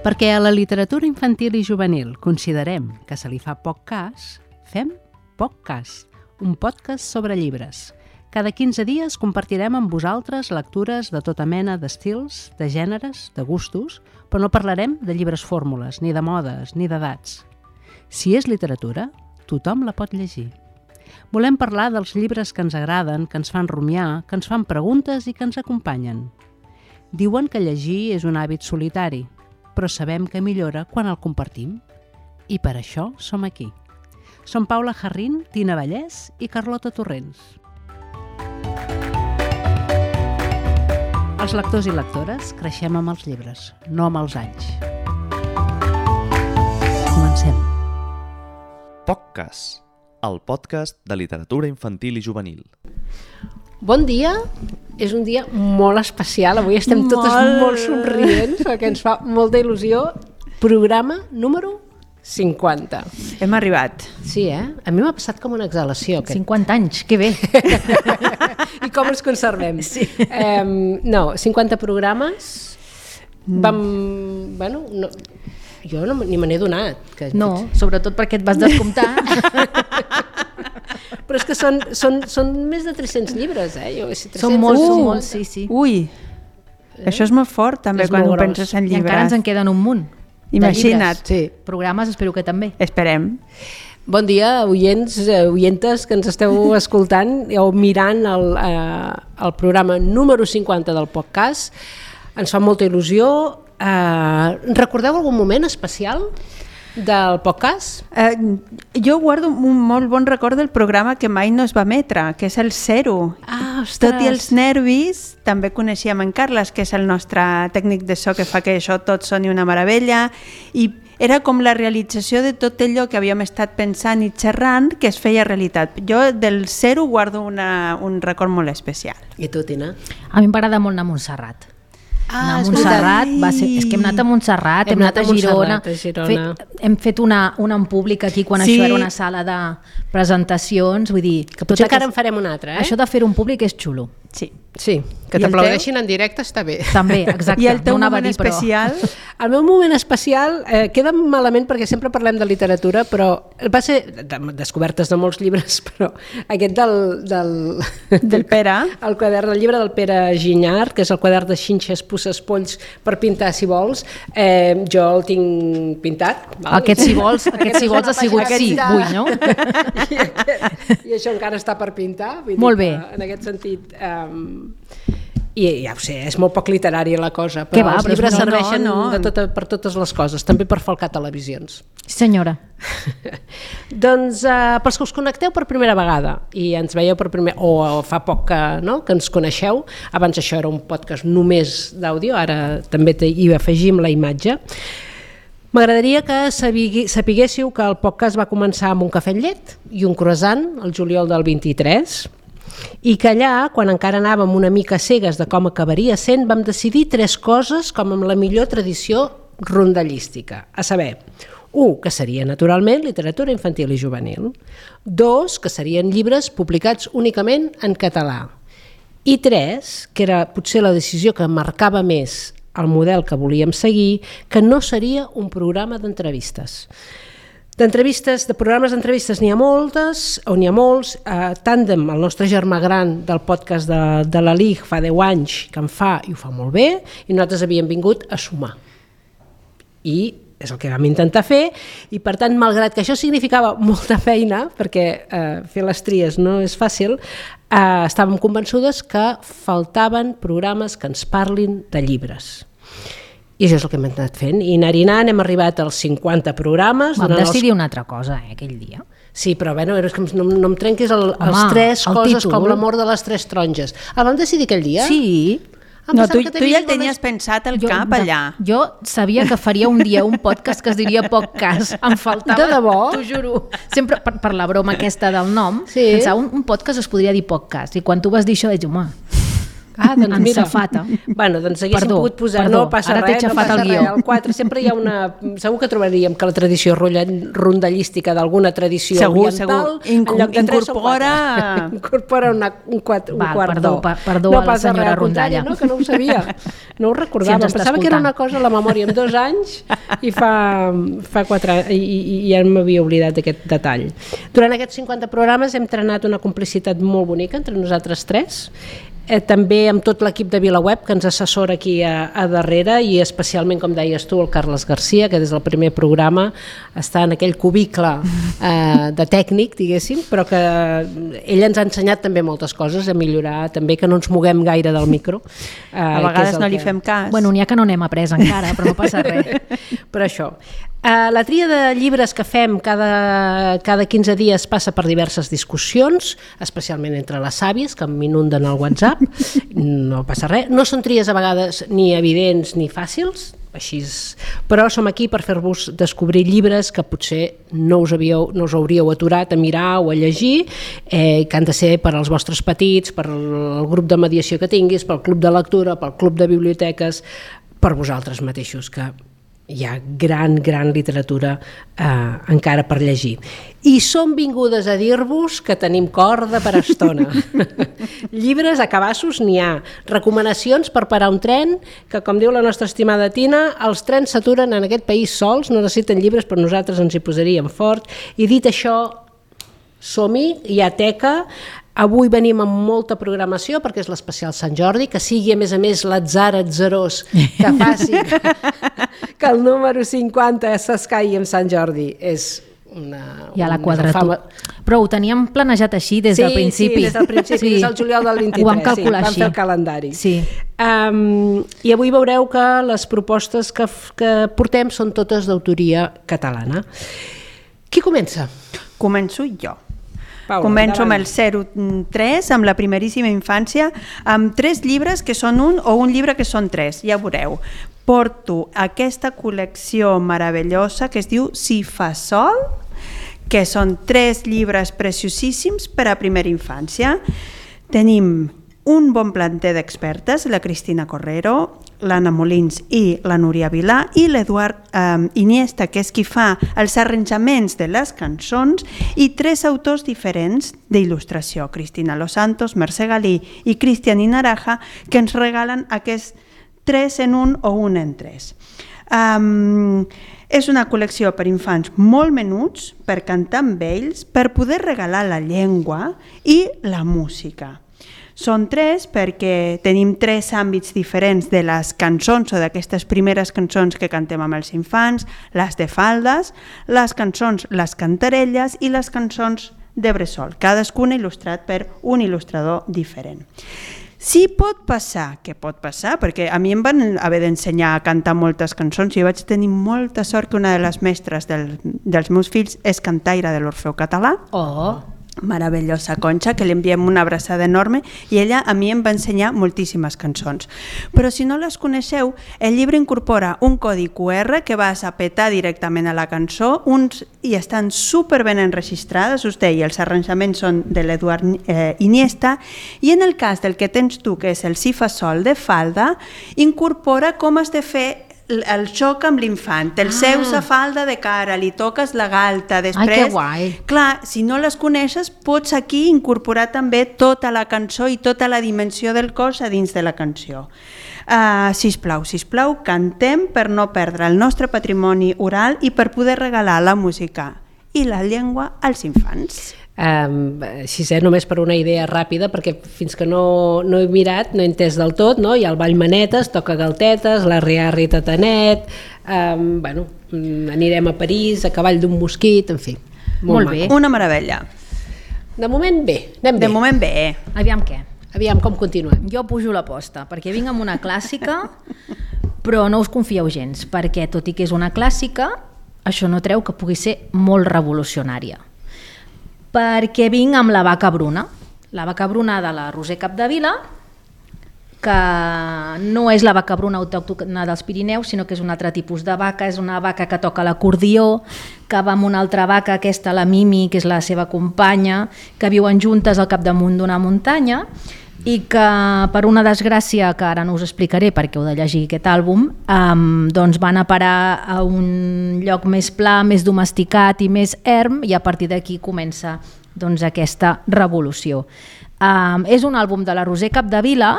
Perquè a la literatura infantil i juvenil considerem que se li fa poc cas, fem POCcast, un podcast sobre llibres. Cada 15 dies compartirem amb vosaltres lectures de tota mena d'estils, de gèneres, de gustos, però no parlarem de llibres fórmules, ni de modes, ni d'edats. Si és literatura, tothom la pot llegir. Volem parlar dels llibres que ens agraden, que ens fan rumiar, que ens fan preguntes i que ens acompanyen. Diuen que llegir és un hàbit solitari, però sabem que millora quan el compartim. I per això som aquí. Som Paula Jarrín, Tina Vallès i Carlota Torrents. Els lectors i lectores creixem amb els llibres, no amb els anys. Comencem. POCcast, el podcast de literatura infantil i juvenil. Bon dia, és un dia molt especial, avui estem totes molt somrients perquè ens fa molta il·lusió. Programa número 50. Hem arribat. Sí, A mi m'ha passat com una exhalació. 50 anys, que bé. I com els conservem? Sí. 50 programes. Jo ni me n'he donat. No, sobretot perquè et vas descomptar. Però és que són més de 300 llibres, Són molts, sí. Ui, això és molt fort també quan ho penses en llibres. I encara ens en queden un munt. Imagina't. Sí. Programes espero que també. Esperem. Bon dia, oientes que ens esteu escoltant o mirant el programa número 50 del podcast. Ens fa molta il·lusió. Recordeu algun moment especial del podcast? Jo guardo un molt bon record del programa que mai no es va emetre, que és el 0. Ostres! Tot i els nervis, també coneixíem en Carles, que és el nostre tècnic de so que fa que això tot soni una meravella, i era com la realització de tot allò que havíem estat pensant i xerrant que es feia realitat. Jo del 0 guardo un record molt especial. I tu, Tina? A mi m'agrada molt anar a Montserrat. Anar a Montserrat és que hem anat a Montserrat, hem anat a Girona. Hem fet una en públic aquí quan això era una sala de presentacions, vull dir... Que potser encara en farem una altra, Això de fer un públic és xulo. Sí, que t'aplaudeixin en directe està bé. També, exacte. I el teu moment especial? El meu moment especial queda malament perquè sempre parlem de literatura, però va ser descobertes de molts llibres, però aquest del Pere, el quadern, el llibre del Pere Ginyard, que és el quadern de xinxes, pusses, polls per pintar si vols, jo el tinc pintat. Val? Aquest si vols ha sigut sí, vull, no? I això encara està per pintar. Molt bé. En aquest sentit... I ja ho sé, és molt poc literari la cosa, però els llibres serveixen per totes les coses, també per falcar televisions. Sí, senyora. Doncs pels que us connecteu per primera vegada i ens veieu per o fa poc que ens coneixeu, abans això era un podcast només d'àudio, ara també hi afegim la imatge. M'agradaria que sapiguéssiu que el podcast va començar amb un cafè amb llet i un croissant el juliol del 23, i que allà, quan encara anàvem una mica cegues de com acabaria sent, vam decidir 3 coses com amb la millor tradició rondallística, a saber, 1, que seria naturalment literatura infantil i juvenil, 2, que serien llibres publicats únicament en català, i 3, que era potser la decisió que marcava més el model que volíem seguir, que no seria un programa d'entrevistes. De programes d'entrevistes n'hi ha moltes, o n'hi ha molts. Tàndem, el nostre germà gran del podcast de la LIG fa 10 anys que en fa i ho fa molt bé, i nosaltres havíem vingut a sumar. I és el que vam intentar fer, i per tant, malgrat que això significava molta feina, perquè fer les tries no és fàcil, estàvem convençudes que faltaven programes que ens parlin de llibres. I això és el que hem anat fent, i anar-hi-anant hem arribat als 50 programes. Vam decidir una altra cosa, aquell dia. Sí, però és que no em trenquis els 3 coses títol. Com l'amor de les 3 taronges. El vam decidir aquell dia? Sí. No, tu ja el tenies pensat al cap allà. Jo sabia que faria un dia un podcast que es diria POCcast. Em faltava, de debò? T'ho juro. Sempre per la broma aquesta del nom, pensava un podcast es podria dir POCcast. I quan tu vas dir això, vaig dir, home, doncs mira. Safata. Bueno, doncs haguéssim pogut posar... No passa ara t'he res, no xafat passa el guió. res. El 4 sempre hi ha una... Segur que trobaríem que la tradició rondallística d'alguna tradició oriental... En lloc de 3 o 4. Incorpora un quart Perdó no a la senyora Rondalla. No, que no ho sabia. No ho recordava. Si Pensava que era una cosa a la memòria en 2 anys i fa 4 anys i ja m'havia oblidat d'aquest detall. Durant aquests 50 programes hem trenat una complicitat molt bonica entre nosaltres 3, també amb tot l'equip de VilaWeb que ens assessora aquí a darrere i especialment, com deies tu, el Carles Garcia, que des del primer programa està en aquell cubicle de tècnic, diguéssim, però que ell ens ha ensenyat també moltes coses, a millorar també, que no ens moguem gaire del micro. A vegades no li fem cas. Bueno, n'hi ha que no n'hem après encara, però no passa res. Però això. La tria de llibres que fem cada 15 dies passa per diverses discussions, especialment entre les àvies, que m'inunden al WhatsApp. No passa res. No són tries a vegades ni evidents ni fàcils, així però som aquí per fer-vos descobrir llibres que potser no us hauríeu aturat a mirar o a llegir, que han de ser per als vostres petits, per al grup de mediació que tinguis, pel club de lectura, pel club de biblioteques, per vosaltres mateixos, que hi ha gran literatura encara per llegir. I som vingudes a dir-vos que tenim corda per estona. Llibres a cabassos n'hi ha. Recomanacions per parar un tren, que com diu la nostra estimada Tina, els trens s'aturen en aquest país sols, no necessiten llibres, però nosaltres ens hi posaríem fort. I dit això, som-hi, hi ha teca. Avui venim amb molta programació perquè és l'especial Sant Jordi, que sigui a més l'atzar atzarós que faci que el número 50 s'escaigui amb Sant Jordi. És ja la quadratura. Però ho teníem planejat així des del principi. Sí, des del principi, des del juliol del 23. Ho vam calcular així. Vam fer el calendari. Sí. I avui veureu que les propostes que portem són totes d'autoria catalana. Qui comença? Començo jo. Paula, començo endavant. amb el 03, amb la primeríssima infància, amb 3 llibres que són un o un llibre que són 3, ja veureu. Porto aquesta col·lecció meravellosa que es diu Si fa sol, que són 3 llibres preciosíssims per a primera infància. Tenim un bon planter d'expertes, la Cristina Correro, l'Anna Molins i la Núria Vilà, i l'Eduard Iniesta, que és qui fa els arranjaments de les cançons, i 3 autors diferents d'il·lustració, Cristina Los Santos, Mercè Galí i Cristian Inaraja, que ens regalen aquests 3 en 1 o 1 en 3. És una col·lecció per infants molt menuts, per cantar amb ells, per poder regalar la llengua i la música. Són 3 perquè tenim 3 àmbits diferents de les cançons o d'aquestes primeres cançons que cantem amb els infants, les de faldes, les cançons, les cantarelles i les cançons de bressol, cadascuna il·lustrat per un il·lustrador diferent. Sí, pot passar, que pot passar, perquè a mi em van haver d'ensenyar a cantar moltes cançons i vaig tenir molta sort que una de les mestres dels meus fills és cantaire de l'Orfeu Català. Meravellosa Conxa, que li enviem una abraçada enorme, i ella a mi em va ensenyar moltíssimes cançons. Però si no les coneixeu, el llibre incorpora un codi QR que vas a petar directament a la cançó, i estan superben enregistrades, us deia, els arranjaments són de l'Eduard Iniesta, i en el cas del que tens tu, que és el Si fa sol de falda, incorpora com has de fer el xoc amb l'infant, el seus a falda de cara, li toques la galta, després... Ai, que guai! Clar, si no les coneixes, pots aquí incorporar també tota la cançó i tota la dimensió del cos a dins de la cançó. Sisplau, cantem per no perdre el nostre patrimoni oral i per poder regalar la música i la llengua als infants. Així, només per una idea ràpida, perquè fins que no he mirat, no he entès del tot, no? Hi ha el ball manetes, toca galtetes, l'arri-arri tatanet, anirem a París, a cavall d'un mosquit, en fi. Molt bé. Una meravella. De moment bé, anem bé. De moment bé. Aviam què? Aviam com continuem. Jo pujo l'aposta, perquè vinc amb una clàssica, però no us confieu gens, perquè tot i que és una clàssica, això no treu que pugui ser molt revolucionària. Perquè vinc amb La vaca bruna de la Roser Capdevila, que no és la vaca bruna autòctona dels Pirineus, sinó que és un altre tipus de vaca, és una vaca que toca l'acordió, que va amb una altra vaca, aquesta, la Mimi, que és la seva companya, que viuen juntes al capdamunt d'una muntanya, i que per una desgràcia que ara no us explicaré perquè heu de llegir aquest àlbum, doncs van a parar a un lloc més pla, més domesticat i més erm, i a partir d'aquí comença doncs, aquesta revolució. És un àlbum de la Roser Capdevila,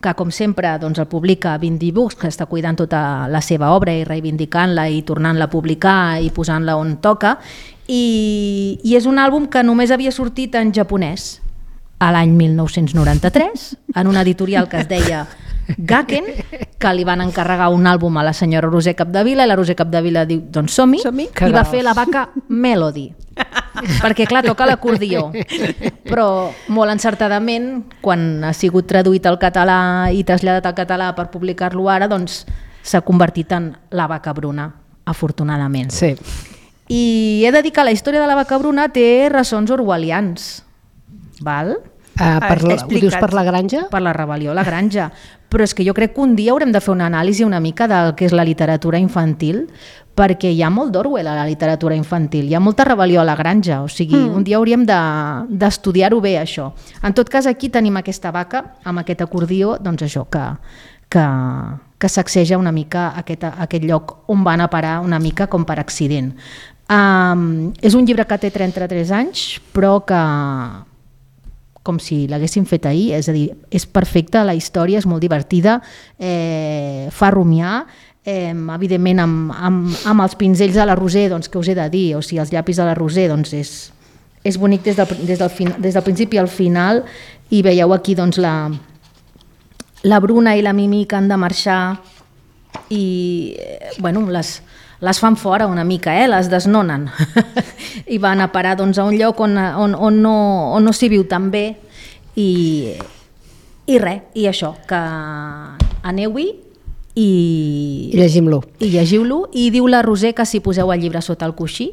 que com sempre doncs, el publica Bindi Books, que està cuidant tota la seva obra i reivindicant-la i tornant-la a publicar i posant-la on toca, i és un àlbum que només havia sortit en japonès a l'any 1993, en una editorial que es deia Gaken, que li van encarregar un àlbum a la senyora Roser Capdevila, i la Roser Capdevila diu, doncs som-hi, i va fer La vaca Melody. Perquè clar, toca l'acordió, però molt encertadament, quan ha sigut traduït al català i traslladat al català per publicar-lo ara, doncs s'ha convertit en La vaca bruna, afortunadament. Sí. I he de dir que la història de La vaca bruna té ressons orwellians, val? Ho dius per la granja? Per la rebel·lió a la granja. Però és que jo crec que un dia haurem de fer una anàlisi una mica del que és la literatura infantil, perquè hi ha molt d'Orwell a la literatura infantil, hi ha molta rebel·lió a la granja, o sigui, un dia hauríem d'estudiar-ho bé, això. En tot cas, aquí tenim aquesta vaca, amb aquest acordió, doncs això, que sacseja una mica aquest lloc on van a parar una mica com per accident. És un llibre que té 33 anys, però que com si l'haguessin fet ahir, és a dir, és perfecta, la història és molt divertida, fa rumiar, evidentment amb els pinzells de la Roser, doncs, que us he de dir, o sigui, els llapis de la Roser, doncs és bonic des del principi al final, i veieu aquí doncs, la Bruna i la Mimi que han de marxar i bueno, les fan fora una mica, les desnonen i van a parar doncs, a un lloc on no s'hi viu tan bé i res, i això, que aneu-hi i llegiu-lo, i diu la Roser que si poseu el llibre sota el coixí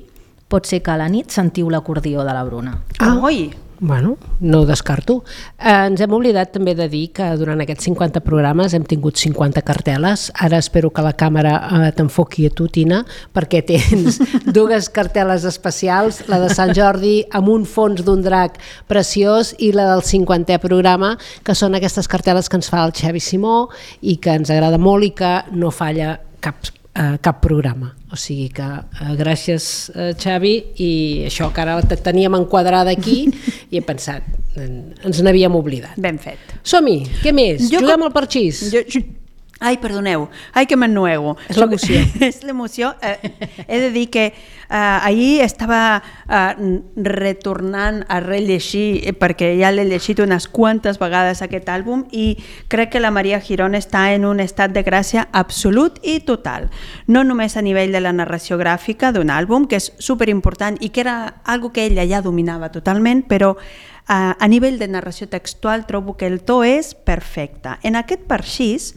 pot ser que a la nit sentiu l'acordió de la Bruna. Oi! Bueno, no ho descarto. Ens hem oblidat també de dir que durant aquests 50 programes hem tingut 50 cartel·les. Ara espero que la càmera t'enfoqui a tu, Tina, perquè tens dues cartel·les especials, la de Sant Jordi amb un fons d'un drac preciós i la del 50è programa, que són aquestes cartel·les que ens fa el Xavi Simó i que ens agrada molt i que no falla cap programa. O sigui que gràcies, Xavi, i això que ara te teníem enquadrada aquí i he pensat, ens n'havíem oblidat. Ben fet. Som-hi, què més? Juguem al parxís. Ai, perdoneu, ai que m'ennuego. És l'emoció. És l'emoció. He de dir que ahir estava retornant a rellegir, perquè ja l'he llegit unes quantes vegades aquest àlbum, i crec que la Maria Girón està en un estat de gràcia absolut i total. No només a nivell de la narració gràfica d'un àlbum, que és superimportant i que era algo que ella ja dominava totalment, però a nivell de narració textual trobo que el to és perfecte. En aquest parxís,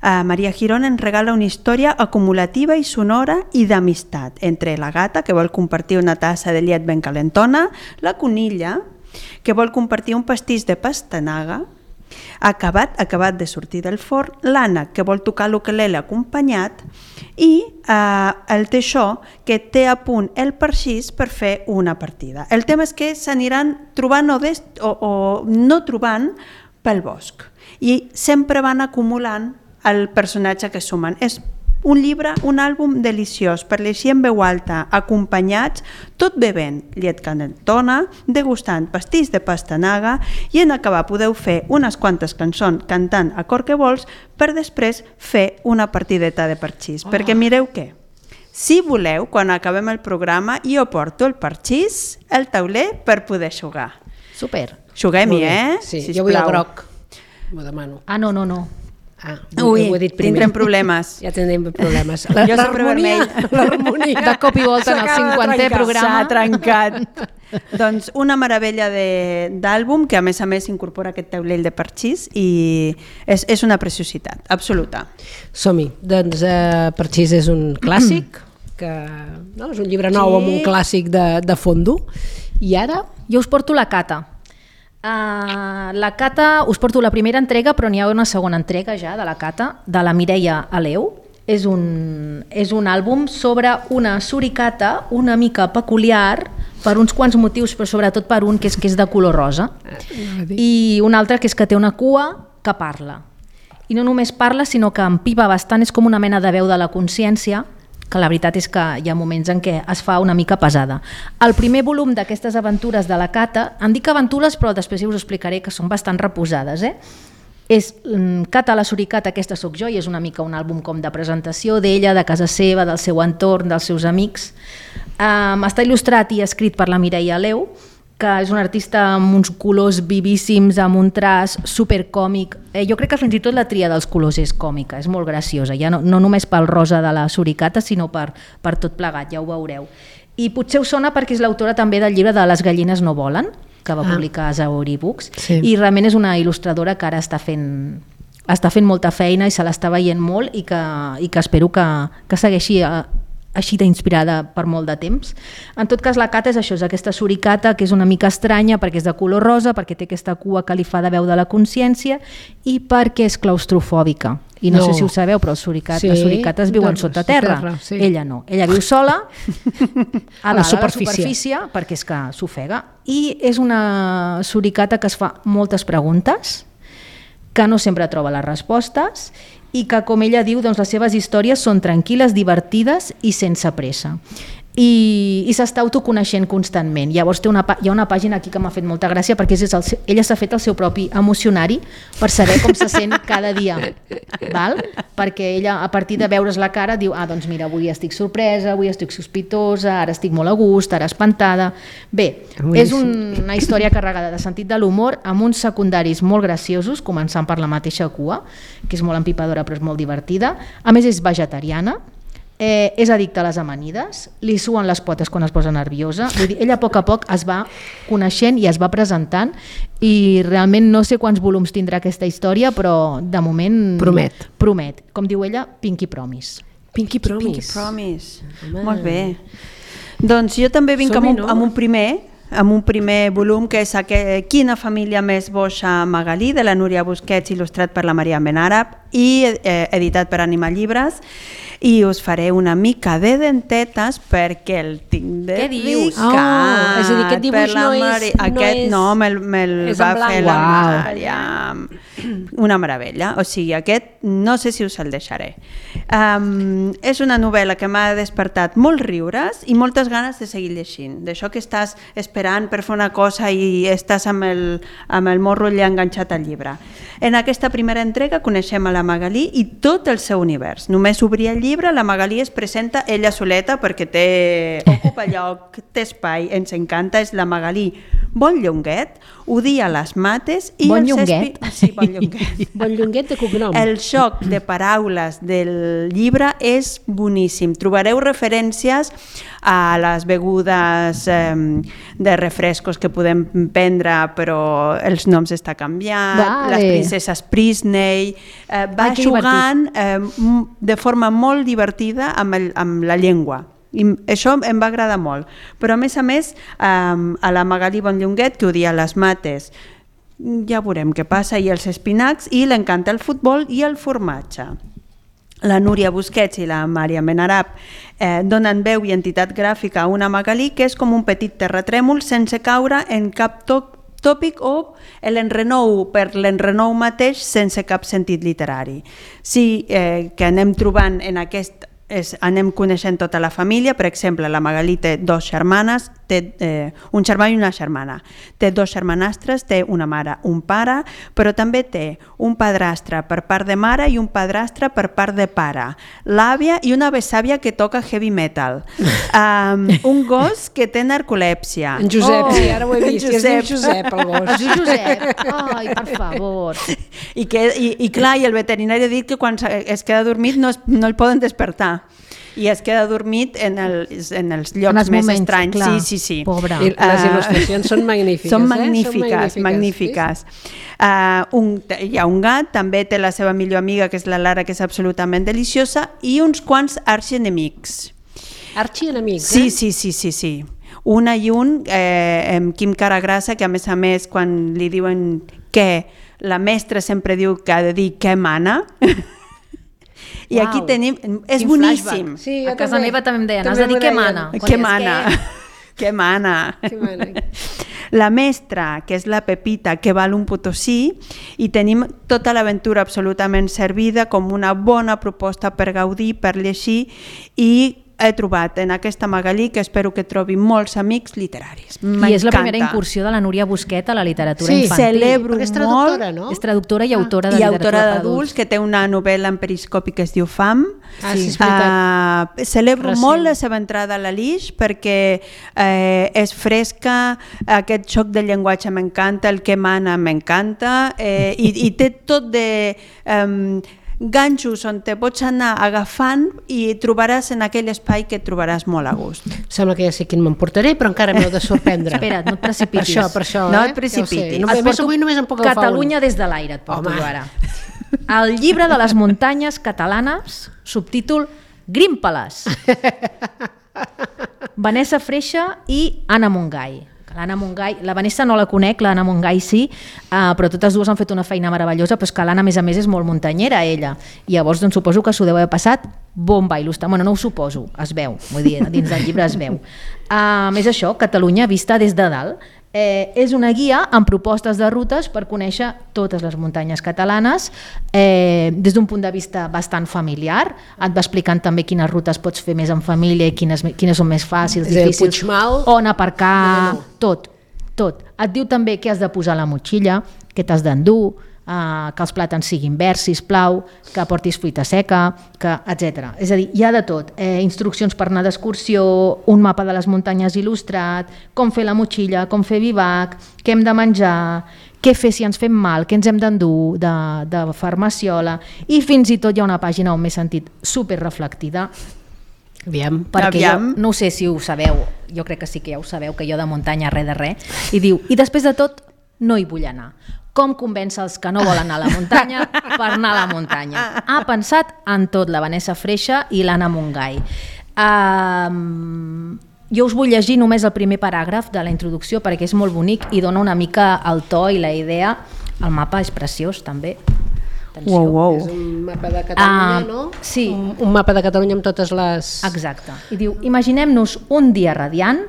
Maria Girón ens regala una història acumulativa i sonora i d'amistat entre la gata, que vol compartir una tassa de llet ben calentona, la conilla, que vol compartir un pastís de pastanaga, acabat de sortir del forn, l'Anna, que vol tocar l'ukelele acompanyat, i el Teixó, que té a punt el parxís per fer una partida. El tema és que s'aniran trobant o no trobant pel bosc, i sempre van acumulant el personatge que sumen. És un llibre, un àlbum deliciós per llegir en veu alta, acompanyats, tot bevent llet calentona, degustant pastís de pastanaga, i en acabar podeu fer unes quantes cançons cantant a cor que vols per després fer una partideta de parxís. Perquè mireu què, si voleu, quan acabem el programa, jo porto el parxís, el tauler, per poder jugar. Super. Juguem-hi, Sí, sisplau. jo vull el groc, m'ho demano. No. Ui, ho he dit primer. tindrem problemes. Ja tindrem problemes. Jo sempre vermell. L'harmonia. De cop i volta en el 50è programa. S'ha trencat. Doncs una meravella d'àlbum que a més incorpora aquest taulell de parxís i és una preciositat absoluta. Som-hi. Doncs Parxís és un clàssic, que no, és un llibre nou amb un clàssic de fondo. I ara? Jo us porto la Cata. La Cata, us porto la primera entrega, però n'hi ha una segona entrega ja de la Cata, de la Mireia Aleu. És un àlbum sobre una suricata una mica peculiar, per uns quants motius, però sobretot per un que és de color rosa. I un altre que és que té una cua que parla. I no només parla, sinó que empipa bastant, és com una mena de veu de la consciència, que la veritat és que hi ha moments en què es fa una mica pesada. El primer volum d'aquestes aventures de la Cata, em dic aventures però després us explicaré que són bastant reposades, és Cata la suricata, aquesta sóc jo, i és una mica un àlbum com de presentació d'ella, de casa seva, del seu entorn, dels seus amics. Està il·lustrat i escrit per la Mireia Aleu, que és un artista amb uns colors vivíssims, amb un traç supercòmic. Jo crec que fins i tot la tria dels colors és còmica, és molt graciosa, ja no només pel rosa de la suricata, sinó per tot plegat, ja ho veureu. I potser us sona perquè és l'autora també del llibre de Les gallines no volen, que va publicar a Zauri Books, i realment és una il·lustradora que ara està fent molta feina i se l'està veient molt i que espero que segueixi així d'inspirada per molt de temps. En tot cas, la Cata és això, és aquesta suricata que és una mica estranya perquè és de color rosa, perquè té aquesta cua que li fa de veu de la consciència i perquè és claustrofòbica. I no sé si ho sabeu, però les suricates viuen sota terra. Sí. Ella no. Ella viu sola a la superfície perquè és que s'ofega. I és una suricata que es fa moltes preguntes, que no sempre troba les respostes i que, com ella diu, doncs les seves històries són tranquil·les, divertides i sense pressa. I s'està autoconeixent constantment. Llavors hi ha una pàgina aquí que m'ha fet molta gràcia perquè ella s'ha fet el seu propi emocionari per saber com se sent cada dia, val? Perquè ella, a partir de veure's la cara, diu, doncs mira, avui estic sorpresa, avui estic sospitosa, ara estic molt a gust, ara espantada. Bé, és una història carregada de sentit de l'humor amb uns secundaris molt graciosos, començant per la mateixa cua, que és molt empipadora però és molt divertida. A més és vegetariana, és addicta a les amanides, li suen les potes quan es posa nerviosa. Vull dir, ella a poc es va coneixent i es va presentant i realment no sé quants volums tindrà aquesta història, però de moment promet. Com diu ella, Pinky Promise. Pinky Promise. Molt bé. Doncs jo també vinc amb un primer volum que és Quina família més boixa, Magalí, de la Núria Busquets, il·lustrat per la Maria Benàrab i editat per Anima Llibres. I us faré una mica de dentetes perquè el tinc dedicat. És a dir, aquest dibuix no me'l va fer la Maria. Una meravella. O sigui, aquest no sé si us el deixaré. És una novel·la que m'ha despertat molts riures i moltes ganes de seguir llegint. D'això que estàs esperant per fer una cosa i estàs amb el morro allà enganxat al llibre. En aquesta primera entrega coneixem a la Magalí i tot el seu univers. Només obrir el llibre, la Magalí es presenta ella soleta perquè ocupa lloc, té espai, ens encanta, és la Magalí Bon Llonguet, odia les mates i Bon Llonguet? Sí, Bon Llonguet. Bon Llonguet de cognom. El joc de paraules del llibre és boníssim. Trobareu referències a les begudes de refrescos que podem prendre, però els noms està canviat, les princeses Prisney, va jugant de forma molt divertida amb la llengua. I això em va agradar molt, però a més a la Magalí Bon Llonguet, que odia les mates, ja veurem què passa, i els espinacs, i l'encanta el futbol i el formatge. La Núria Busquets i la Maria Benàrab donen veu i entitat gràfica a una Magalí que és com un petit terratrèmol sense caure en cap tòpic o l'enrenou per l'enrenou mateix sense cap sentit literari. Sí que anem trobant en aquest anem coneixent tota la família. Per exemple, la Magalí té dos germanes, té un germà i una germana, té dos germanastres, té una mare, un pare, però també té un padrastre per part de mare i un padrastre per part de pare, l'àvia i una besàvia que toca heavy metal, un gos que té narcolèpsia. En Josep, sí, ara ho he vist, és en Josep el gos. Es diu Josep, ai, per favor. I clar, i el veterinari ha dit que quan es queda dormit no el poden despertar. I es queda dormit en els llocs més estranys. Clar. Sí. Pobre. I les il·lustracions són magnífiques. Són magnífiques. Hi ha un gat, també té la seva millor amiga, que és la Lara, que és absolutament deliciosa, i uns quants arxienemics. Arxienemics, Sí. Una i un, amb Quim Caragrassa, que a més, quan li diuen què, la mestra sempre diu que ha de dir què mana. I aquí tenim... És boníssim. Sí, a casa meva també em deien, has de dir què mana. Què mana. Que mana. La mestra, que és la Pepita, que val un Potosí, i tenim tota l'aventura absolutament servida com una bona proposta per gaudir, per llegir, i he trobat en aquesta Magalí, que espero que trobi molts amics literaris. I és la primera incursió de la Núria Busquet a la literatura infantil. Sí, celebro és traductora, molt. No? És traductora i autora de literatura autora per d'adults, que té una novel·la en periscopi que es diu Fam. Sí, és veritat. Celebro molt la seva entrada a la Lix perquè és fresca, aquest xoc de llenguatge m'encanta, el que mana m'encanta, i té tot de ganxos on te pots anar agafant i trobaràs en aquell espai que et trobaràs molt a gust. Sembla que ja sé quin m'emportaré, però encara m'heu de sorprendre. Espera't, no et precipitis. Per això, No et precipitis. Ja només em puc agafar Catalunya des de l'aire, et porto jo ara. El llibre de les muntanyes catalanes, subtítol Grímpales. Vanessa Freixa i Anna Montgai. L'Anna Montgai, la Vanessa no la conec, l'Anna Montgai sí, però totes dues han fet una feina meravellosa, però és que l'Anna, a més, és molt muntanyera, ella. I llavors, doncs, suposo que s'ho deu haver passat bomba il·lustre. Bueno, no ho suposo, es veu, vull dir, dins del llibre es veu. És això, Catalunya vista des de dalt. És una guia amb propostes de rutes per conèixer totes les muntanyes catalanes des d'un punt de vista bastant familiar. Et va explicant també quines rutes pots fer més en família i quines són més fàcils, difícils, on aparcar, tot. Et diu també què has de posar a la motxilla, què t'has d'endur, que els plàtans siguin verds, sisplau, que portis fruita seca, etc. És a dir, hi ha de tot. Instruccions per anar d'excursió, un mapa de les muntanyes il·lustrat, com fer la motxilla, com fer bivac, què hem de menjar, què fer si ens fem mal, què ens hem d'endur de farmaciola, i fins i tot hi ha una pàgina on m'he sentit superreflectida. Perquè jo, no sé si ho sabeu, jo crec que sí que ja ho sabeu, que jo de muntanya res de res, i diu, i després de tot no hi vull anar. Com convèncer els que no volen anar a la muntanya per anar a la muntanya? Ha pensat en tot la Vanessa Freixa i l'Anna Montgai. Jo us vull llegir només el primer paràgraf de la introducció perquè és molt bonic i dona una mica el to i la idea. El mapa és preciós també. Wow. És un mapa de Catalunya, no? Sí. Un mapa de Catalunya amb totes les... Exacte. I diu, imaginem-nos un dia radiant,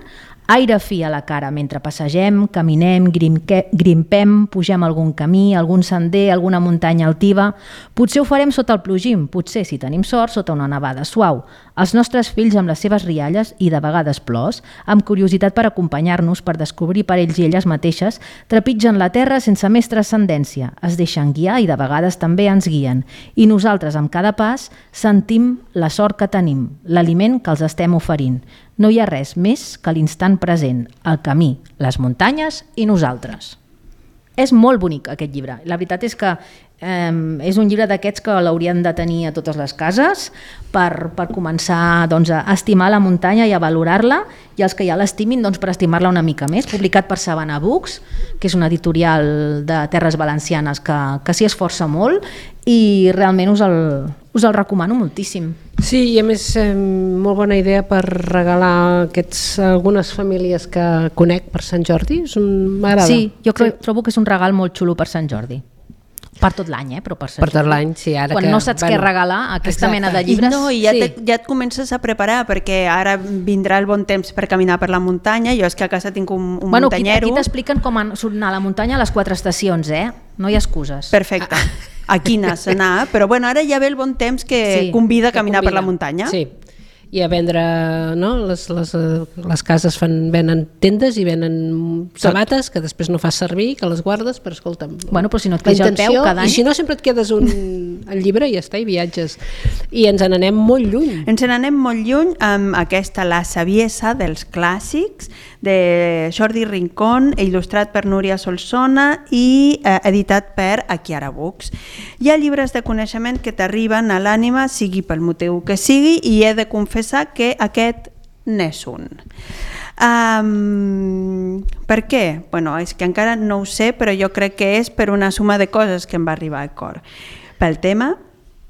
aire fi a la cara mentre passegem, caminem, grimpem, pugem algun camí, algun sender, alguna muntanya altiva. Potser ho farem sota el plogim, potser, si tenim sort, sota una nevada suau. Els nostres fills amb les seves rialles i de vegades plors, amb curiositat per acompanyar-nos, per descobrir per ells i elles mateixes, trepitgen la terra sense més transcendència, es deixen guiar i de vegades també ens guien. I nosaltres, amb cada pas, sentim la sort que tenim, l'aliment que els estem oferint. No hi ha res més que l'instant present, el camí, les muntanyes i nosaltres. És molt bonic aquest llibre. La veritat és que és un llibre d'aquests que l'haurien de tenir a totes les cases per començar doncs, a estimar la muntanya i a valorar-la, i els que ja l'estimin doncs, per estimar-la una mica més. Publicat per Sabana Books, que és una editorial de Terres Valencianes que s'hi esforça molt i realment us el recomano moltíssim. Sí, i a més molt bona idea per regalar algunes famílies que conec per Sant Jordi. M'agrada. Sí, jo trobo que és un regal molt xulo per Sant Jordi. Per tot l'any, però per Sant Jordi. Per tot l'any, sí. Ara quan no saps què regalar, aquesta mena de llibres... I ja et comences a preparar, perquè ara vindrà el bon temps per caminar per la muntanya. Jo és que a casa tinc un muntanyero. Aquí t'expliquen com anar a la muntanya a les 4 estacions, no hi ha excuses. Perfecte. Aquí n'has d'anar, però ara ja ve el bon temps que convida a caminar per la muntanya. Sí, i a vendre, no? Les cases venen tendes i venen sabates que després no fas servir, que les guardes, però escolta'm... Bueno, però si no et quedes al peu cada any... I si no, sempre et quedes el llibre i ja està, i viatges. I ens n'anem molt lluny. Ens n'anem molt lluny amb aquesta La saviesa dels clàssics, de Jordi Rincón, il·lustrat per Núria Solsona i editat per Akiara Books. Hi ha llibres de coneixement que t'arriben a l'ànima, sigui pel motiu que sigui, i he de confessar que aquest n'és un. Per què? És que encara no ho sé, però jo crec que és per una suma de coses que em va arribar al cor. Pel tema,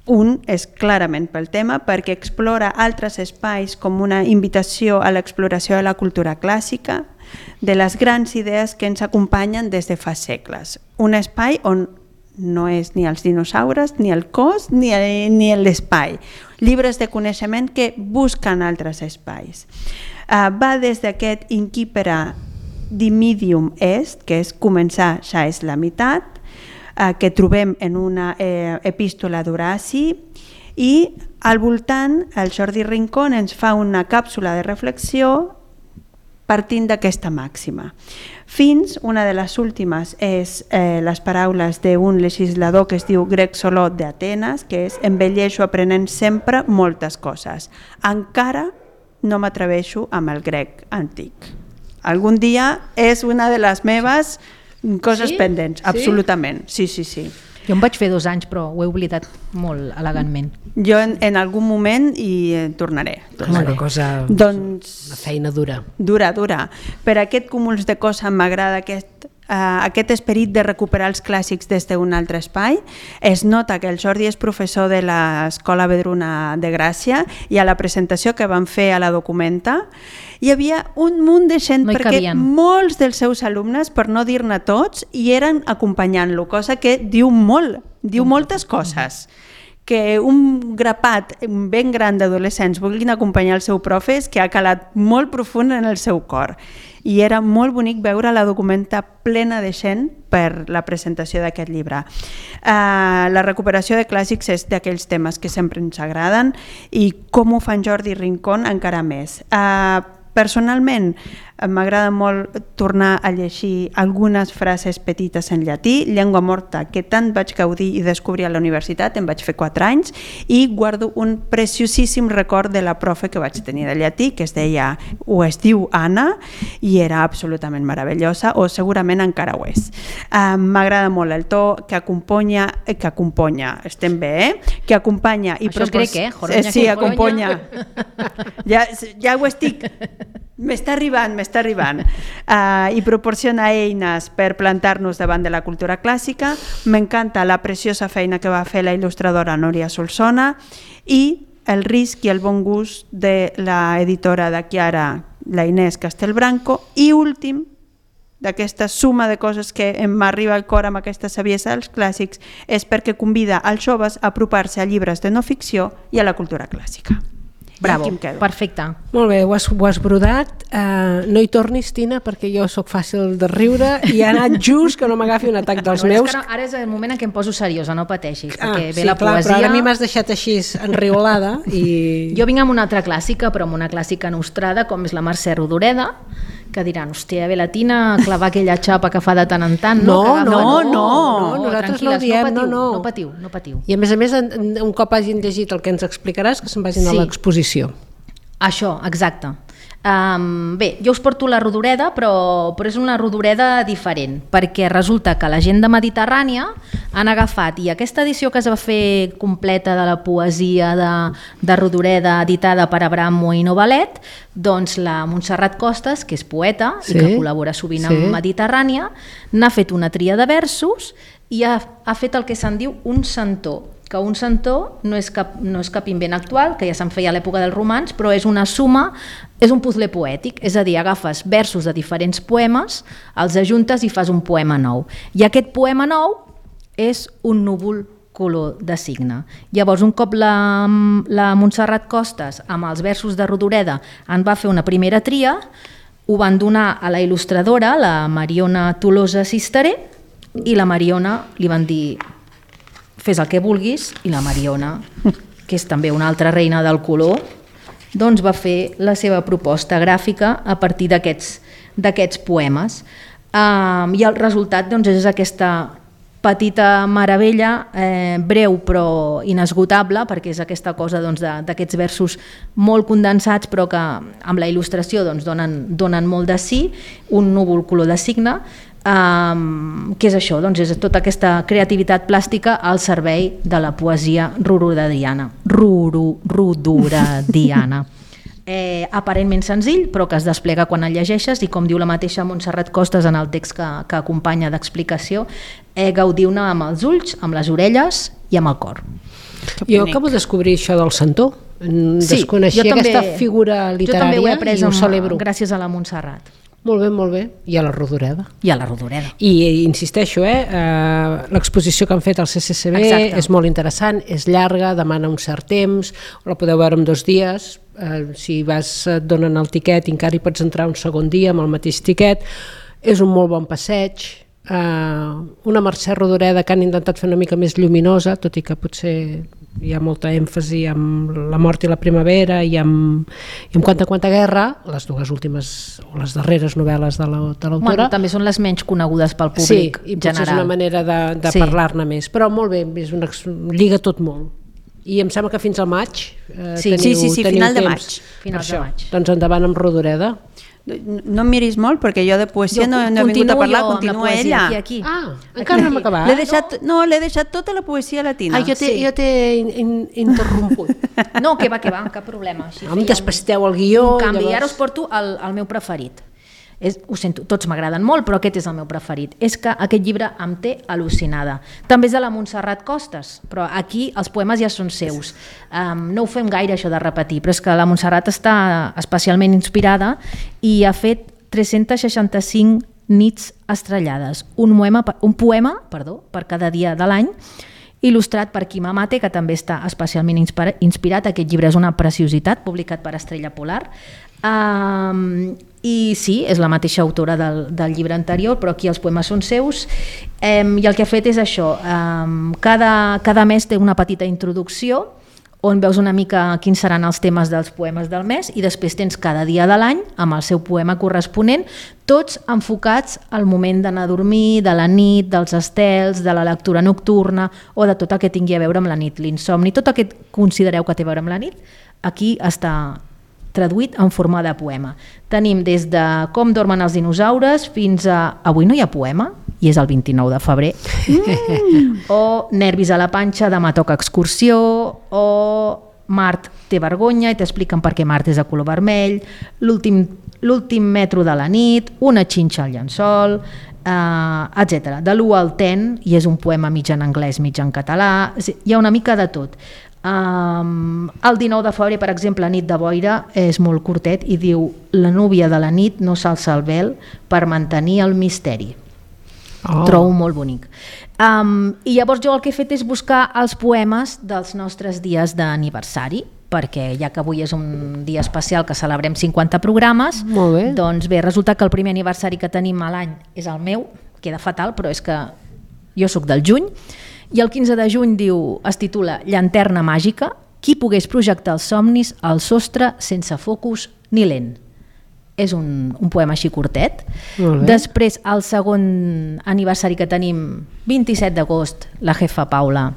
un és clarament pel tema, perquè explora altres espais com una invitació a l'exploració de la cultura clàssica, de les grans idees que ens acompanyen des de fa segles. Un espai on no és ni els dinosaures, ni el cos, ni l'espai. Llibres de coneixement que busquen altres espais. Va des d'aquest Incipere Dimidium Est, que és començar, ja és la meitat, que trobem en una epístola d'Horaci, i al voltant el Jordi Rincón ens fa una càpsula de reflexió partint d'aquesta màxima. Fins, una de les últimes és les paraules d'un legislador que es diu Grec Soló d'Atenes, que és: envelleixo aprenent sempre moltes coses. Encara no m'atreveixo amb el grec antic. Algun dia és una de les meves coses pendents, absolutament. Sí. Jo em vaig fer 2 anys, però ho he oblidat molt elegantment. Jo en algun moment hi tornaré. És una cosa, una feina dura. Dura. Per aquest cúmul de coses m'agrada aquest esperit de recuperar els clàssics des d'un altre espai. Es nota que el Jordi és professor de l'Escola Vedruna de Gràcia, i a la presentació que van fer a la Documenta hi havia un munt de gent, perquè molts dels seus alumnes, per no dir-ne tots, hi eren acompanyant-lo, cosa que diu moltes coses. Que un grapat ben gran d'adolescents vulguin acompanyar el seu profe és que ha calat molt profund en el seu cor. I era molt bonic veure la Documenta plena de gent per la presentació d'aquest llibre. La recuperació de clàssics és d'aquells temes que sempre ens agraden, i com ho fan Jordi Rincón encara més. Personalment m'agrada molt tornar a llegir algunes frases petites en llatí, llengua morta que tant vaig gaudir i descobrir a la universitat, em vaig fer 4 anys, i guardo un preciosíssim record de la profe que vaig tenir de llatí, que es diu Anna, i era absolutament meravellosa, o segurament encara ho és. M'agrada molt el to que acompanya, estem bé, que acompanya i això és grec, sí, acompanya. Ja ho estic. M'està arribant. I proporciona eines per plantar-nos davant de la cultura clàssica. M'encanta la preciosa feina que va fer la il·lustradora Núria Solsona, i el risc i el bon gust de l'editora de Chiara, la Inés Castelbranco. I últim, d'aquesta suma de coses que m'arriba al cor amb aquesta saviesa dels clàssics, és perquè convida als joves a apropar-se a llibres de no ficció i a la cultura clàssica. Bravo, perfecte. Molt bé, ho has brodat. No hi tornis, Tina, perquè jo sóc fàcil de riure i ha anat just que no m'agafi un atac dels meus. Ara és el moment en què em poso seriosa, no pateixis, perquè ve la poesia... Però ara a mi m'has deixat així enriolada. Jo vinc amb una altra clàssica, però amb una clàssica nostrada, com és la Mercè Rodoreda, que diran, hòstia, ve la Tina a clavar aquella xapa que fa de tant en tant. No, nosaltres no ho diem, no patiu. I a més, un cop hagin llegit el que ens explicaràs, que se'n vagin a l'exposició. Això, exacte. Bé, jo us porto la Rodoreda, però és una Rodoreda diferent, perquè resulta que la gent de Mediterrània han agafat, i aquesta edició que es va fer completa de la poesia de Rodoreda, editada per Abramo i Novalet, doncs la Montserrat Costas, que és poeta i que col·labora sovint amb Mediterrània, n'ha fet una tria de versos i ha fet el que se'n diu un centó, que un centó no és cap invent actual, que ja se'n feia a l'època dels romans, però és una suma, és un puzzle poètic, és a dir, agafes versos de diferents poemes, els ajuntes i fas un poema nou. I aquest poema nou és un núvol color de signe. Llavors, un cop la Montserrat Costas, amb els versos de Rodoreda, en va fer una primera tria, ho van donar a la il·lustradora, la Mariona Tolosa Cisteré, i la Mariona li van dir: fes el que vulguis, i la Mariona, que és també una altra reina del color, doncs va fer la seva proposta gràfica a partir d'aquests poemes. I el resultat doncs, és aquesta petita meravella, breu però inesgotable, perquè és aquesta cosa d'aquests versos molt condensats però que amb la il·lustració donen molt de sí, un núvol color de signe, que és això, és tota aquesta creativitat plàstica al servei de la poesia rodorediana. Aparentment senzill, però que es desplega quan el llegeixes, i com diu la mateixa Montserrat Costas en el text que acompanya d'explicació, gaudiu-ne amb els ulls, amb les orelles i amb el cor. Jo acabo de descobrir això del centó. Desconeixia aquesta figura literària i ho celebro. Gràcies a la Montserrat. Molt bé, molt bé. I a la Rodoreda. I a la Rodoreda. I insisteixo, l'exposició que han fet al CCCB és molt interessant, és llarga, demana un cert temps, la podeu veure en 2 dies, si et donen el tiquet i encara hi pots entrar un segon dia amb el mateix tiquet. És un molt bon passeig, una Mercè Rodoreda que han intentat fer una mica més lluminosa, tot i que potser hi ha molta èmfasi amb La mort i la primavera i amb Quanta guerra, les 2 últimes o les darreres novel·les de l'autora. Bueno, també són les menys conegudes pel públic i general. potser és una manera de parlar-ne més, però molt bé, lliga tot molt. I em sembla que fins al maig teniu final de maig. Finals de maig. Doncs endavant amb Rodoreda. No em miris molt, perquè jo de poesia no he vingut a parlar, continua ella. Aquí. Encara no hem acabat. L'he deixat tota la poesia latina. Jo t'he interromput. No, que va, cap problema. Em despasteu el guió. Un canvi, ara us porto el meu preferit. Ho sento, tots m'agraden molt, però aquest és el meu preferit. És que aquest llibre em té al·lucinada. També és de la Montserrat Costas, però aquí els poemes ja són seus. No ho fem gaire, això de repetir, però és que la Montserrat està especialment inspirada i ha fet 365 nits estrellades, un poema per cada dia de l'any, il·lustrat per Quim Amate, que també està especialment inspirat. Aquest llibre és una preciositat, publicat per Estrella Polar. I sí, és la mateixa autora del llibre anterior, però aquí els poemes són seus, i el que ha fet és això, cada mes té una petita introducció on veus una mica quins seran els temes dels poemes del mes, i després tens cada dia de l'any amb el seu poema corresponent, tots enfocats al moment d'anar a dormir, de la nit, dels estels, de la lectura nocturna o de tot el que tingui a veure amb la nit, l'insomni, tot el que considereu que té a veure amb la nit, aquí està traduït en forma de poema. Tenim des de Com dormen els dinosaures fins a Avui no hi ha poema, i és el 29 de febrer, o Nervis a la panxa, demà toca excursió, o Mart té vergonya i t'expliquen per què Mart és de color vermell, l'últim metro de la nit, una xinxa al llençol, etc. De l'1 al 10, i és un poema mig en anglès, mig en català, hi ha una mica de tot. El 19 de febrer, per exemple, Nit de boira, és molt curtet i diu: la núvia de la nit no s'alça el vel per mantenir el misteri. Trobo molt bonic. I llavors jo el que he fet és buscar els poemes dels nostres dies d'aniversari, perquè ja que avui és un dia especial que celebrem 50 programes, doncs bé, resulta que el primer aniversari que tenim a l'any és el meu, queda fatal, però és que jo sóc del juny, i el 15 de juny es titula Llanterna màgica, qui pogués projectar els somnis al sostre sense focus ni lent. És un poema així curtet. Després, el segon aniversari que tenim, 27 d'agost, la jefa Paula.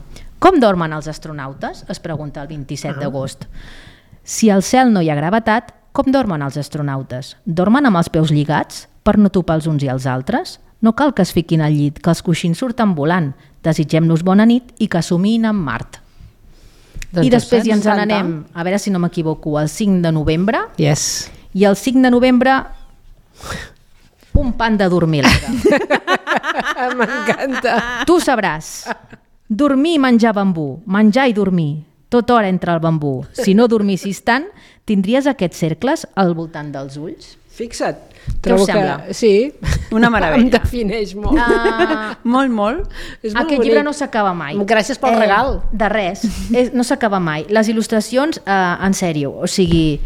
Com dormen els astronautes? Es pregunta el 27 d'agost. Si al cel no hi ha gravetat, com dormen els astronautes? Dormen amb els peus lligats per no topar els uns i els altres? No cal que es fiquin al llit, que els coixins surten volant. Desitgem-nos bona nit i que somiïn amb Mart. I després ja ens n'anem, a veure si no m'equivoco, el 5 de novembre. Yes. I el 5 de novembre, un pan de dormir. M'encanta. Tu sabràs. Dormir i menjar bambú, menjar i dormir, tota hora entre el bambú. Si no dormissis tant, tindries aquests cercles al voltant dels ulls? Fixa't. Què us sembla? Sí. Una meravella. Em defineix molt. Molt. Aquest llibre no s'acaba mai. Gràcies pel regal. De res. No s'acaba mai. Les il·lustracions, en sèrio, o sigui,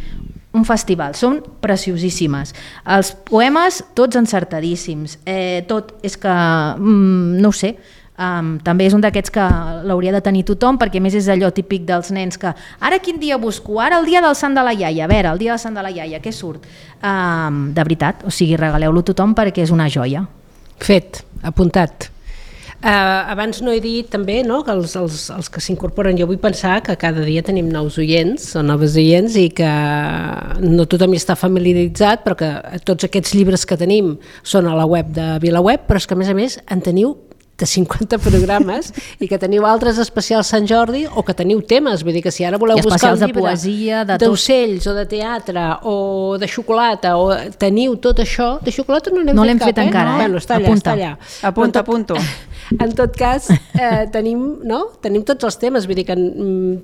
un festival, són preciosíssimes. Els poemes, tots encertadíssims. Tot, és que, no ho sé, també és un d'aquests que l'hauria de tenir tothom, perquè a més és allò típic dels nens que ara quin dia busco? Ara el dia del sant de la iaia. A veure, el dia del sant de la iaia, què surt? De veritat, o sigui, regaleu-lo a tothom perquè és una joia. Fet, apuntat. Abans no he dit també, no, que els que s'incorporen, jo vull pensar que cada dia tenim nous oients o noves oients i que no tothom hi està familiaritzat, però que tots aquests llibres que tenim són a la web de VilaWeb, però és que a més en teniu de 50 programes i que teniu altres especials Sant Jordi o que teniu temes, vull dir que si ara voleu buscar un llibre poesia, d'ocells o de teatre o de xocolata o teniu tot això, de xocolata no n'hem fet cap, encara. No? Bueno, està allà. Apunto. En tot cas, tenim tots els temes, vull dir que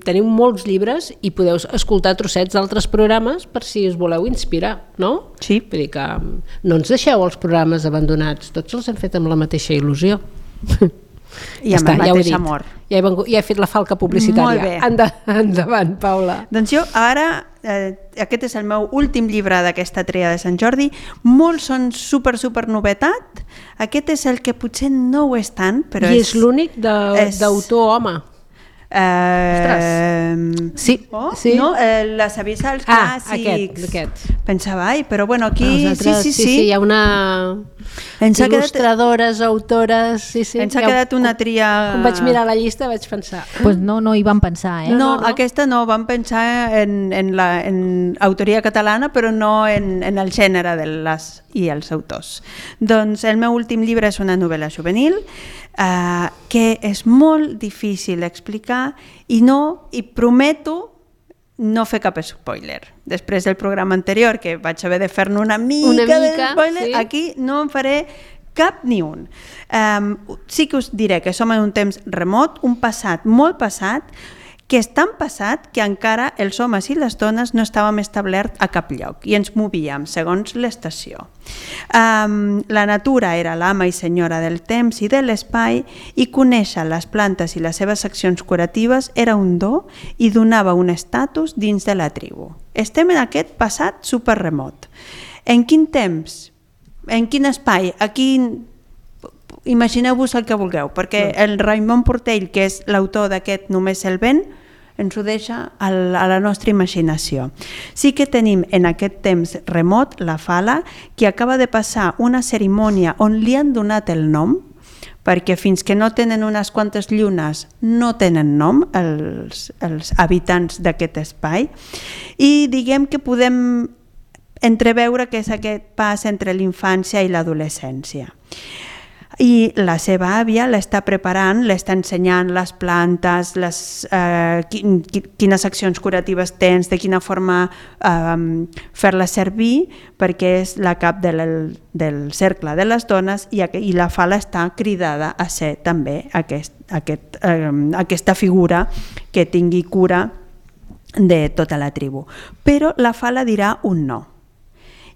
tenim molts llibres i podeu escoltar trossets d'altres programes per si us voleu inspirar, no? Sí. Vull dir que no ens deixeu els programes abandonats, tots els hem fet amb la mateixa il·lusió. I amb el mateix amor. Ja he fet la falca publicitària. Molt bé. Endavant, Paula. Doncs jo ara, aquest és el meu últim llibre d'aquesta tria de Sant Jordi, molts són super novetat, aquest és el que potser no ho és tant, però I és l'únic d'autor home. Sí. No? Les avisals clàssics. Aquest. Pensava, però bueno, aquí sí. Hi ha una il·lustradores, autores, Ens ha quedat una tria... Quan vaig mirar la llista vaig pensar... Pues no hi vam pensar, eh? No, aquesta no, vam pensar en autoria catalana, però no en el gènere de les i els autors. Doncs el meu últim llibre és una novel·la juvenil que és molt difícil d'explicar i prometo no fer cap spoiler. Després del programa anterior, que vaig haver de fer-ne una mica de spoiler, sí. Aquí no en faré cap ni un. Sí que us diré que som en un temps remot, un passat molt passat, que és tan passat que encara els homes i les dones no estàvem establerts a cap lloc i ens movíem segons l'estació. La natura era l'ama i senyora del temps i de l'espai i conèixer les plantes i les seves accions curatives era un do i donava un estatus dins de la tribu. Estem en aquest passat superremot. En quin temps? En quin espai? Aquí imagineu-vos el que vulgueu, perquè el Raimon Portell, que és l'autor d'aquest Només el vent, ens ho deixa a la nostra imaginació. Sí que tenim en aquest temps remot la Fala, que acaba de passar una cerimònia on li han donat el nom, perquè fins que no tenen unes quantes llunes no tenen nom els habitants d'aquest espai, i diguem que podem entreveure que és aquest pas entre l'infància i l'adolescència. I la seva àvia l'està preparant, l'està ensenyant les plantes, quines accions curatives tens, de quina forma fer-les servir, perquè és la cap del cercle de les dones i la Fala està cridada a ser també aquesta figura que tingui cura de tota la tribu. Però la Fala dirà un no.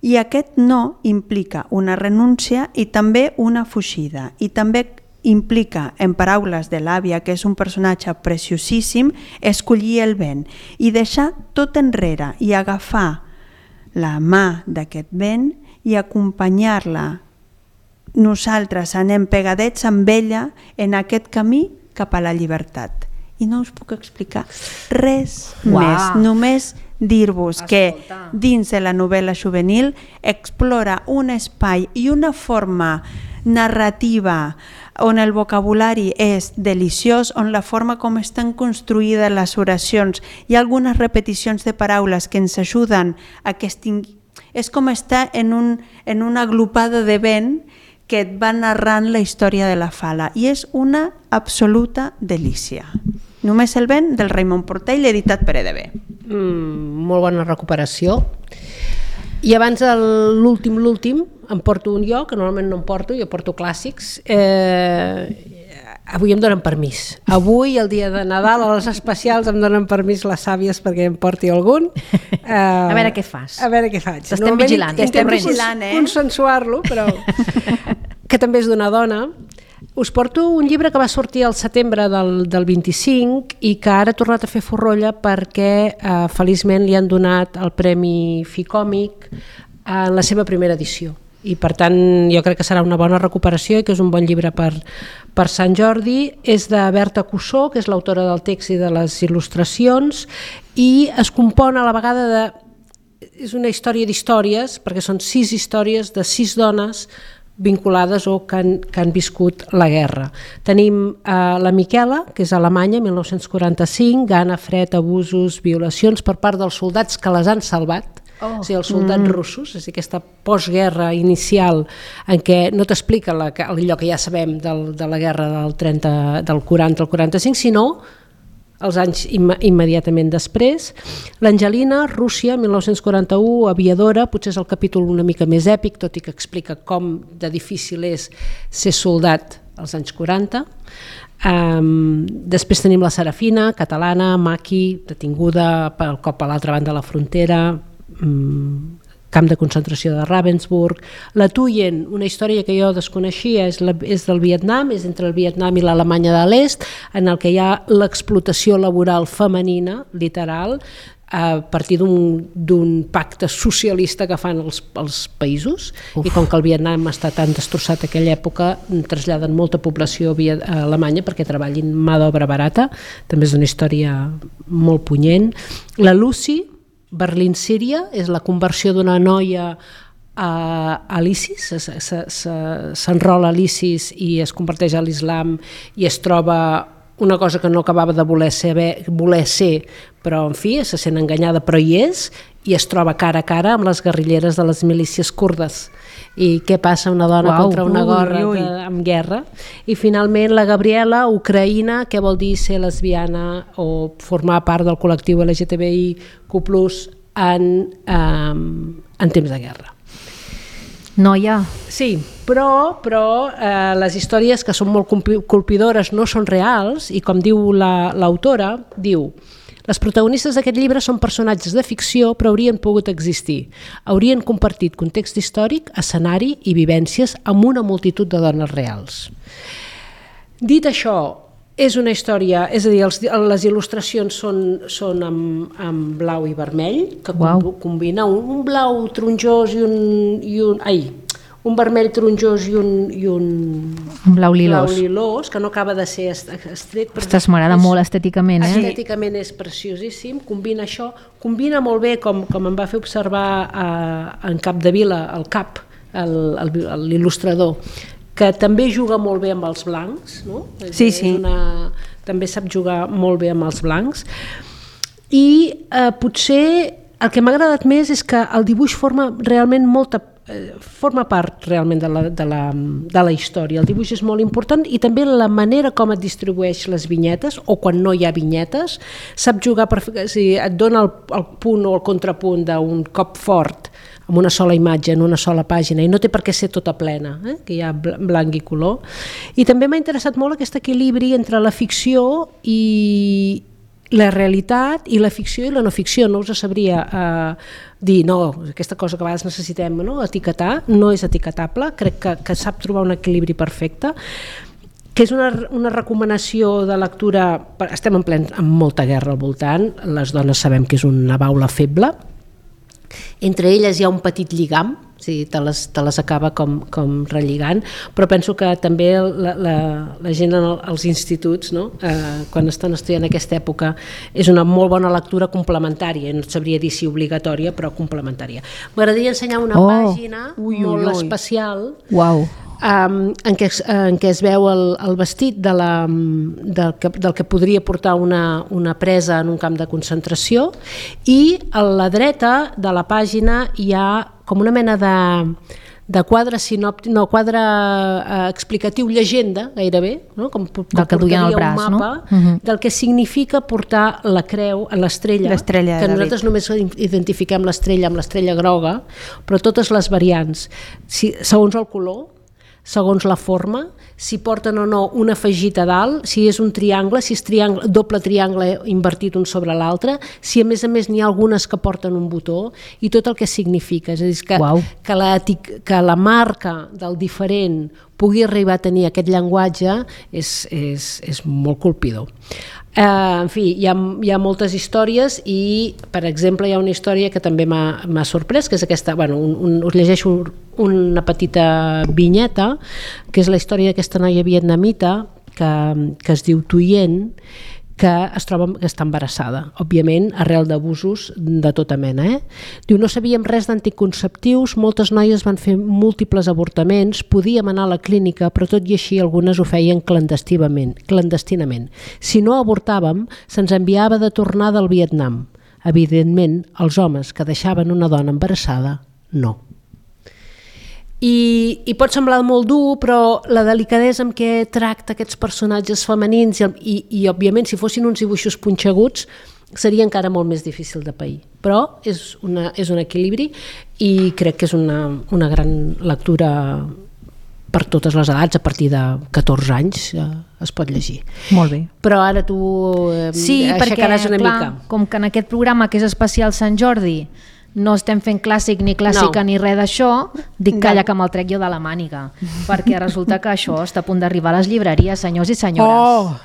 I aquest no implica una renúncia i també una fugida. I també implica, en paraules de l'àvia, que és un personatge preciosíssim, escollir el vent i deixar tot enrere i agafar la mà d'aquest vent i acompanyar-la. Nosaltres anem pegadets amb ella en aquest camí cap a la llibertat. I no us puc explicar res més, només dir-vos que dins de la novel·la juvenil explora un espai i una forma narrativa on el vocabulari és deliciós, on la forma com estan construïdes les oracions i algunes repeticions de paraules que ens ajuden a que és com estar en una agrupada de vent que et va narrant la història de la Fala i és una absoluta delícia. Només el vent, del Raimon Portell, editat per EDB. Molt bona recuperació. I abans l'últim em porto un jo, que normalment no em porto, jo porto clàssics. Avui em donen permís. Avui, el dia de Nadal, a les especials, em donen permís les sàvies perquè em porti algun. A veure què fas. A veure què faig. T'estem vigilant. Estem vigilant, consensuar-lo, però que també és d'una dona. Us porto un llibre que va sortir al setembre del 25 i que ara ha tornat a fer forrolla perquè feliçment li han donat el Premi Ficòmic en la seva primera edició. I per tant jo crec que serà una bona recuperació i que és un bon llibre per Sant Jordi. És de Berta Cussó, que és l'autora del text i de les il·lustracions, i es compon a la vegada de... És una història d'històries, perquè són 6 històries de 6 dones vinculades o que han viscut la guerra. Tenim la Miquela, que és alemanya, 1945, gana, fred, abusos, violacions per part dels soldats que les han salvat, o sigui, els soldats russos, és a dir, aquesta postguerra inicial en què no t'explica allò que ja sabem de la guerra del 40 al 45, sinó els anys immediatament després. L'Angelina, Rússia, 1941, aviadora, potser és el capítol una mica més èpic, tot i que explica com de difícil és ser soldat als anys 40. Després tenim la Serafina, catalana, Maki, detinguda pel cop a l'altra banda de la frontera, camp de concentració de Ravensbrück. La Thuyen, una història que jo desconeixia, és del Vietnam, és entre el Vietnam i l'Alemanya de l'Est, en el que hi ha l'explotació laboral femenina, literal, a partir d'un pacte socialista que fan els països. I com que el Vietnam està tan destrossat a aquella època, traslladen molta població a Alemanya perquè treballin mà d'obra barata. També és una història molt punyent. La Lucy, Berlín, Síria, és la conversió d'una noia a l'ISIS, s'enrola a l'ISIS i es converteix a l'islam i es troba una cosa que no acabava de voler ser, però en fi, se sent enganyada, però hi és, i es troba cara a cara amb les guerrilleres de les milícies kurdes. I què passa una dona contra una en guerra? I finalment la Gabriela, Ucraïna, què vol dir ser lesbiana o formar part del col·lectiu LGTBIQ+ en temps de guerra. Noia. Sí, però les històries que són molt colpidores no són reals i com diu l'autora, diu: les protagonistes d'aquest llibre són personatges de ficció però haurien pogut existir. Haurien compartit context històric, escenari i vivències amb una multitud de dones reals. Dit això, és una història, és a dir, les il·lustracions són amb blau i vermell, que combina un blau taronjós i un vermell taronjós i un blau lilós, que no acaba de ser estret. Ostres, m'agrada molt estèticament. Estèticament és preciosíssim, combina això, combina molt bé, com em va fer observar en Capdevila, l'il·lustrador, que també juga molt bé amb els blancs, no? Sí. També sap jugar molt bé amb els blancs. I potser el que m'ha agradat més és que el dibuix forma part realment de la història. El dibuix és molt important i també la manera com et distribueix les vinyetes, o quan no hi ha vinyetes, sap jugar et dona el punt o el contrapunt d'un cop fort amb una sola imatge, en una sola pàgina, i no té per què ser tota plena, que hi ha blanc i color. I també m'ha interessat molt aquest equilibri entre la ficció i la realitat, i la ficció i la no ficció. No us sabria dir, no, aquesta cosa que a vegades necessitem, no? Etiquetar, no és etiquetable, crec que sap trobar un equilibri perfecte, que és una recomanació de lectura. Estem amb molta guerra al voltant, les dones sabem que és una baula feble, entre elles hi ha un petit lligam, te les acaba com relligant, però penso que també la gent als instituts, no? Quan estan estudiant aquesta època, és una molt bona lectura complementària, no sabria dir si obligatòria, però complementària. M'agradaria ensenyar una pàgina molt especial, en què es veu el vestit del que podria portar una presa en un camp de concentració, i a la dreta de la pàgina hi ha com una mena de quadre explicatiu, llegenda gairebé, no? Com del que duien al braç, un mapa, no? Del que significa portar la creu, l'estrella, que nosaltres només identifiquem l'estrella amb l'estrella groga, però totes les variants, segons el color, segons la forma, si porten o no un afegit a dalt, si és un triangle, si és doble triangle invertit un sobre l'altre, si a més n'hi ha algunes que porten un botó, i tot el que significa. És a dir, que la marca del diferent pugui arribar a tenir aquest llenguatge és molt colpidor. En fi, hi ha moltes històries, i per exemple hi ha una història que també m'ha sorprès, que és aquesta, us llegeixo una petita vinyeta, que és la història d'aquesta noia vietnamita que es diu Thuyen, que està embarassada, òbviament arrel d'abusos de tota mena. Diu: no sabíem res d'anticonceptius, moltes noies van fer múltiples avortaments, podíem anar a la clínica, però tot i així algunes ho feien clandestinament. Si no avortàvem, se'ns enviava de tornada al Vietnam. Evidentment, els homes que deixaven una dona embarassada, no. I pot semblar molt dur, però la delicadesa amb què tracta aquests personatges femenins i òbviament si fossin uns dibuixos punxeguts seria encara molt més difícil de pair, però és un equilibri, i crec que és una gran lectura per totes les edats, a partir de 14 anys es pot llegir. Molt bé. Però ara tu aixecaràs una mica. Com que en aquest programa que és especial Sant Jordi no estem fent clàssic ni clàssica ni res d'això, dic calla que me'l trec jo de la màniga, perquè resulta que això està a punt d'arribar a les llibreries, senyors i senyores.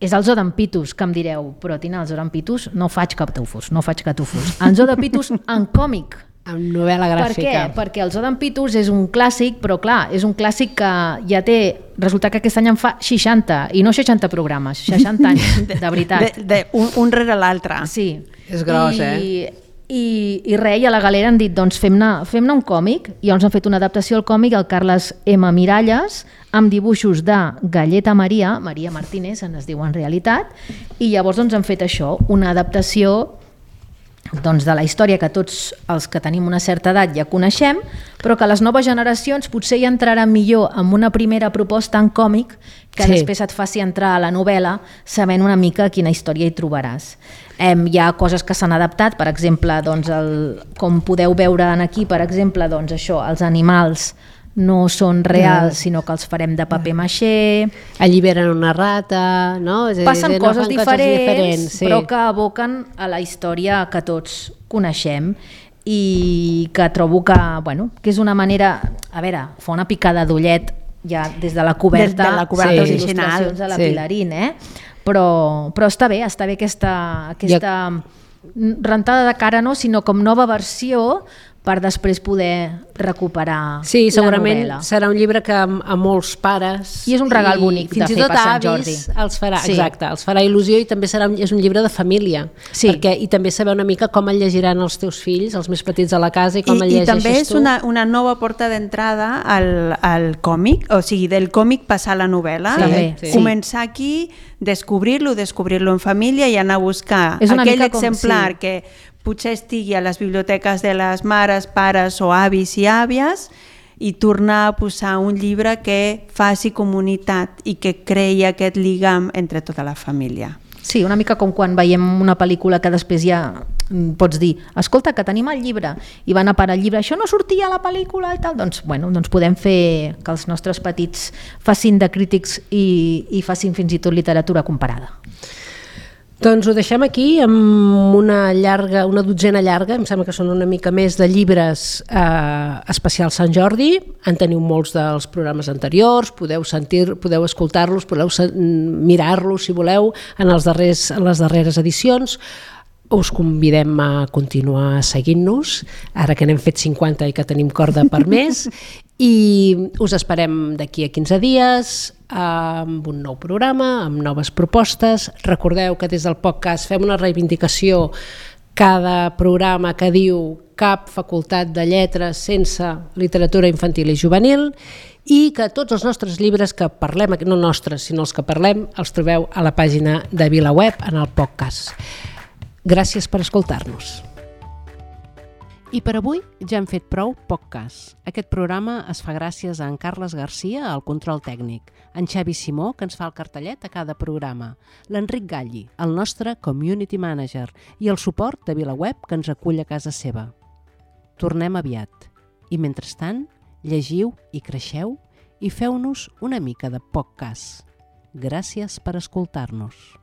És el Zoo d'en Pitus, que em direu, però Tina, el Zoo d'en Pitus no faig catufos. El Zoo de Pitus en còmic. Amb novel·la gràfica. Per què? Perquè el Zoo d'en Pitus és un clàssic, però clar, és un clàssic que ja té... Resulta que aquest any en fa 60, i no 60 programes, 60 anys, de veritat. Un rere l'altre. Sí. És gros, I res, i a la galera han dit, doncs fem-ne un còmic, i llavors han fet una adaptació al còmic, el Carles M. Miralles, amb dibuixos de Galleta Maria Martínez, es diu en realitat, i llavors doncs han fet això, una adaptació doncs, de la història que tots els que tenim una certa edat ja coneixem, però que les noves generacions potser hi entraran millor amb una primera proposta en còmic que després et faci entrar a la novel·la sabent una mica quina història hi trobaràs. Hi ha coses que s'han adaptat, per exemple, doncs com podeu veure aquí, per exemple, doncs això, els animals no són reals, sinó que els farem de paper maixé. Alliberen una rata, no? Passen coses diferents, però que aboquen a la història que tots coneixem i que trobo que és una manera... A veure, fa una picada d'ullet ja des de la coberta, original, les il·lustracions de la Pilarín, però està bé aquesta rentada de cara, no? Sinó com nova versió per després poder recuperar la novel·la. Sí, segurament serà un llibre que a molts pares... I és un regal bonic de fer per Sant Jordi. Fins i tot avis els farà, exacte, els farà il·lusió i també és un llibre de família. Sí. I també saber una mica com el llegiran els teus fills, els més petits a la casa, i com el llegeixes tu. I també és una nova porta d'entrada al còmic, o sigui, del còmic passar a la novel·la. Sí. Començar aquí, descobrir-lo en família i anar a buscar aquell exemplar que potser estigui a les biblioteques de les mares, pares o avis i àvies i tornar a posar un llibre que faci comunitat i que creï aquest lligam entre tota la família. Sí, una mica com quan veiem una pel·lícula que després ja pots dir, escolta, que tenim el llibre, i van a parar el llibre, això no sortia a la pel·lícula i tal, doncs podem fer que els nostres petits facin de crítics i facin fins i tot literatura comparada. Doncs ho deixem aquí amb una dotzena llarga, em sembla que són una mica més de llibres especials Sant Jordi. En teniu molts dels programes anteriors, podeu escoltar-los, podeu mirar-los si voleu en les darreres edicions. Us convidem a continuar seguint-nos, ara que n'hem fet 50 i que tenim corda per més, i us esperem d'aquí a 15 dies amb un nou programa, amb noves propostes. Recordeu que des del podcast fem una reivindicació cada programa que diu cap facultat de lletres sense literatura infantil i juvenil, i que tots els nostres llibres que parlem, no nostres, sinó els que parlem, els trobeu a la pàgina de VilaWeb en el podcast. Gràcies per escoltar-nos. I per avui ja hem fet prou podcast. Aquest programa es fa gràcies a en Carles Garcia, al control tècnic, en Xavi Simó, que ens fa el cartellet a cada programa, l'Enric Galli, el nostre community manager, i el suport de VilaWeb, que ens acull a casa seva. Tornem aviat. I mentrestant, llegiu i creixeu i feu-nos una mica de podcast. Gràcies per escoltar-nos.